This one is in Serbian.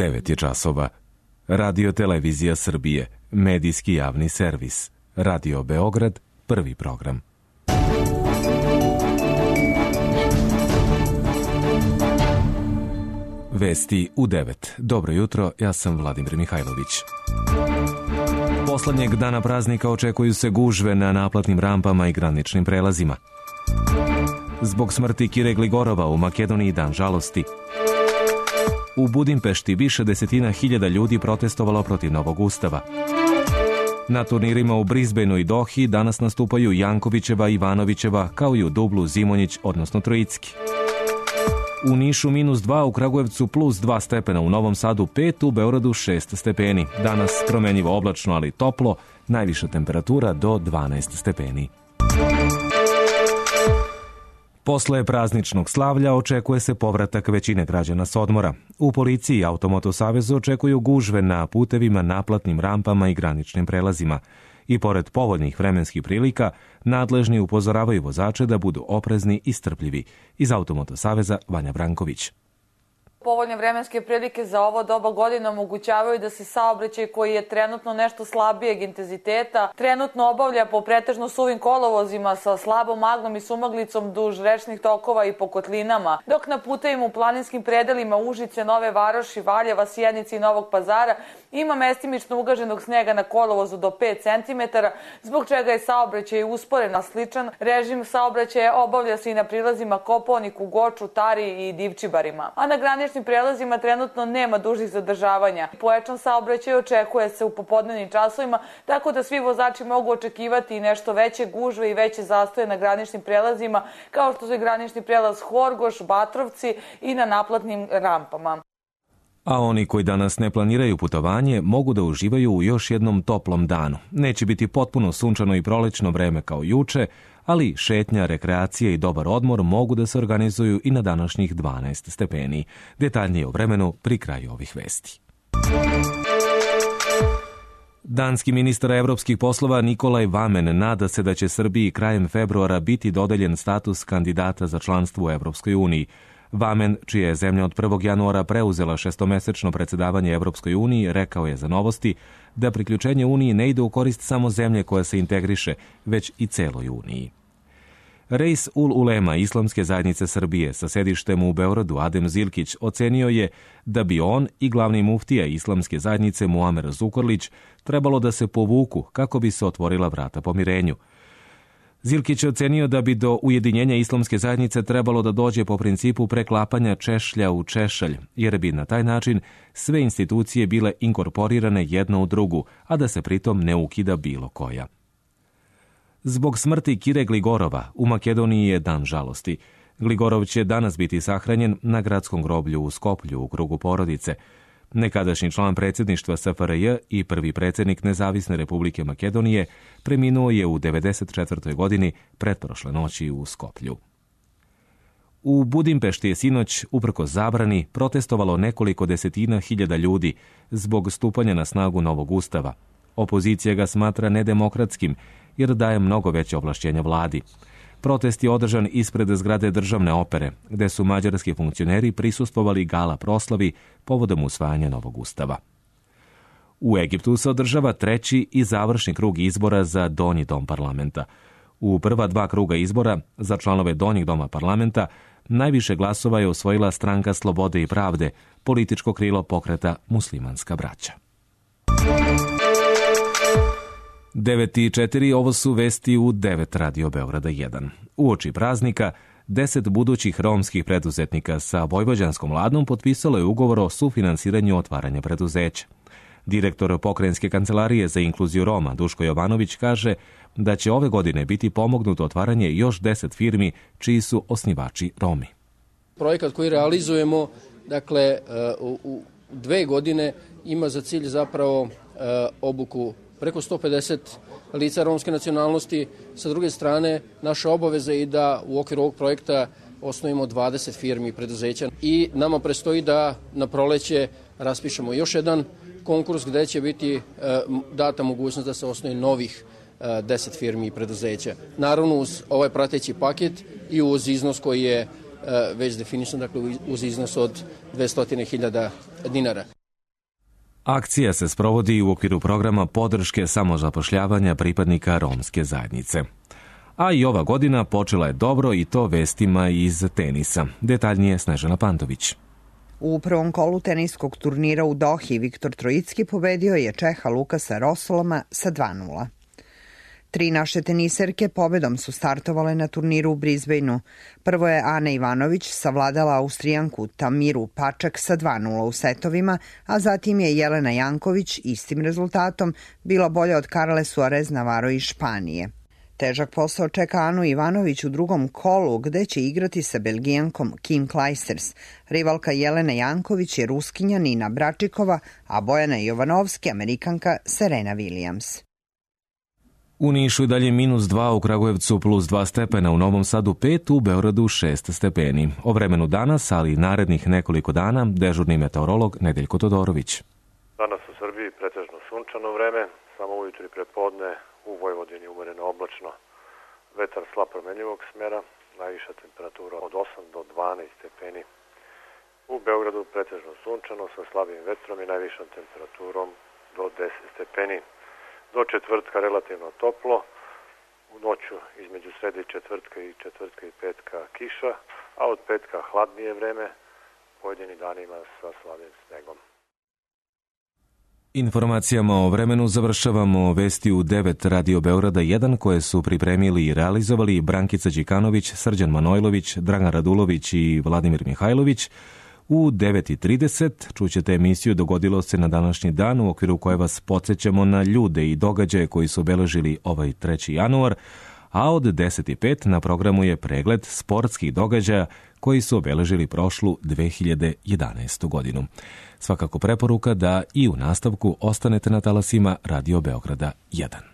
9 je časova. Radio Televizija Srbije, medijski javni servis. Radio Beograd, prvi program. Vesti u 9. Dobro jutro, ja sam Vladimir Mihajlović. Poslednjeg dana praznika očekuju se gužve na naplatnim rampama i graničnim prelazima. Zbog smrti Kire Gligorova u Makedoniji dan žalosti. U Budimpešti više desetina hiljada ljudi protestovalo protiv novog ustava. Na turnirima u Brisbaneu i Dohi danas nastupaju Jankovićeva, Ivanovićeva, kao i u dublu Zimonjić, odnosno Trojicki. U Nišu -2, u Kragujevcu +2 stepena, u Novom Sadu 5, u Beogradu 6 stepeni. Danas promenjivo oblačno, ali toplo, najviša temperatura do 12 stepeni. Posle prazničnog slavlja očekuje se povratak većine građana s odmora. U policiji i Automoto savezu očekuju gužve na putevima, naplatnim rampama i graničnim prelazima. I pored povoljnih vremenskih prilika, nadležni upozoravaju vozače da budu oprezni i strpljivi. Iz Automoto saveza Vanja Branković. Povoljne vremenske prilike za ovo doba godine omogućavaju da se saobraćaj koji je trenutno nešto slabijeg intenziteta trenutno obavlja po pretežno suvim kolovozima sa slabom maglom i sumaglicom duž rečnih tokova i po kotlinama, dok na putevima u planinskim predelima Užice, Nove Varoši, Valjeva, Sjenice i Novog Pazara ima mestimično ugaženog snega na kolovozu do 5 cm, zbog čega je saobraćaj usporen, a sličan režim saobraćaja obavlja se i na prilazima Kopaoniku, Goču, Tari i Divčibarima. A na graničnim prelazima trenutno nema dužih zadržavanja. Pojačan saobraćaj očekuje se u popodnevnim časovima, tako da svi vozači mogu očekivati i nešto veće gužve i veće zastoje na graničnim prelazima, kao što su i granični prelaz Horgoš, Batrovci i na naplatnim rampama. A oni koji danas ne planiraju putovanje mogu da uživaju u još jednom toplom danu. Neće biti potpuno sunčano i prolećno vreme kao juče, ali šetnja, rekreacija i dobar odmor mogu da se organizuju i na današnjih 12 stepeni. Detaljnije o vremenu pri kraju ovih vesti. Danski ministar evropskih poslova Nikolaj Vamen nada se da će Srbiji krajem februara biti dodeljen status kandidata za članstvo u Evropskoj uniji. Vamen, čija je zemlja od 1. januara preuzela šestomesečno predsedavanje Evropskoj uniji, rekao je za Novosti da priključenje Uniji ne ide u korist samo zemlje koja se integriše, već i celoj Uniji. Reis ul Ulema Islamske zajednice Srbije sa sedištem u Beogradu Adem Zilkić ocenio je da bi on i glavni muftija Islamske zajednice Muamer Zukorlić trebalo da se povuku kako bi se otvorila vrata pomirenju. Zilkić je ocenio da bi do ujedinjenja Islamske zajednice trebalo da dođe po principu preklapanja češlja u češalj, jer bi na taj način sve institucije bile inkorporirane jedna u drugu, a da se pritom ne ukida bilo koja. Zbog smrti Kire Gligorova u Makedoniji je dan žalosti. Gligorov će danas biti sahranjen na gradskom groblju u Skoplju u krugu porodice. Nekadašnji član predsjedništva SFRJ i prvi predsjednik Nezavisne Republike Makedonije preminuo je u 94. godini pretprošle noći u Skoplju. U Budimpešti je sinoć, uprkos zabrani, protestovalo nekoliko desetina hiljada ljudi zbog stupanja na snagu novog ustava. Opozicija ga smatra nedemokratskim jer daje mnogo veće ovlašćenja vladi. Protest je održan ispred zgrade državne opere, gde su mađarski funkcioneri prisustvovali gala proslavi povodom usvajanja novog ustava. U Egiptu se održava treći i završni krug izbora za Donji dom parlamenta. U prva 2 kruga izbora za članove Donjeg doma parlamenta najviše glasova je osvojila Stranka slobode i pravde, političko krilo pokreta Muslimanska braća. 9:04, ovo su vesti u 9 Radio Beograda 1. Uoči praznika, 10 budućih romskih preduzetnika sa vojvođanskom vladom potpisalo je ugovor o sufinansiranju otvaranja preduzeća. Direktor Pokrajinske kancelarije za inkluziju Roma Duško Jovanović kaže da će ove godine biti pomognuto otvaranje još 10 firmi čiji su osnivači Romi. Projekat koji realizujemo, dakle, u 2 godine ima za cilj zapravo obuku preko 150 lica romske nacionalnosti. Sa druge strane, naša obaveza je i da u okviru ovog projekta osnovimo 20 firmi i preduzeća. I nama prestoji da na proleće raspišemo još jedan konkurs gde će biti data mogućnost da se osnovi novih 10 firmi i preduzeća. Naravno uz ovaj prateći paket i uz iznos koji je već definisan, dakle uz iznos od 200.000 dinara. Akcija se sprovodi u okviru programa podrške samozapošljavanja pripadnika romske zajednice. A i ova godina počela je dobro i to vestima iz tenisa. Detaljnije Snežana Pantović. U prvom kolu teniskog turnira u Dohi Viktor Trojicki pobedio je Čeha Lukasa Rosoloma sa 2:0. 3 naše teniserke pobedom su startovale na turniru u Brisbaneu. Prvo je Ana Ivanović savladala Austrijanku Tamiru Pačak sa 2:0 u setovima, a zatim je Jelena Janković istim rezultatom bila bolja od Karle Suarez Navarro iz Španije. Težak posao čeka Anu Ivanović u drugom kolu, gde će igrati sa Belgijankom Kim Clijsters. Rivalka Jelene Janković je Ruskinja Nina Bračikova, a Bojana Jovanovski Amerikanka Serena Williams. U Nišu je dalje -2, u Kragujevcu +2 stepena, u Novom Sadu 5, u Beogradu 6 stepeni. O vremenu danas, ali i narednih nekoliko dana, dežurni meteorolog Nedeljko Todorović. Danas u Srbiji pretežno sunčano vreme, samo ujutro i prepodne u Vojvodini umereno oblačno. Vetar slab promenljivog smera, najviša temperatura od 8 do 12 stepeni. U Beogradu pretežno sunčano sa slabim vetrom i najvišom temperaturom do 10 stepeni. Do četvrtka relativno toplo, u noću između srede i četvrtka i petka kiša, a od petka hladnije vreme, pojedini danima sa slabim snegom. Informacijama o vremenu završavamo vesti u 9 Radio Beograda 1 koje su pripremili i realizovali Brankica Đikanović, Srđan Manojlović, Dragan Radulović i Vladimir Mihajlović. U 9:30 čućete emisiju Dogodilo se na današnji dan, u okviru koje vas podsjećamo na ljude i događaje koji su obeležili ovaj 3. januar, a od 10:05 na programu je pregled sportskih događaja koji su obeležili prošlu 2011. godinu. Svakako preporuka da i u nastavku ostanete na talasima Radio Beograda 1.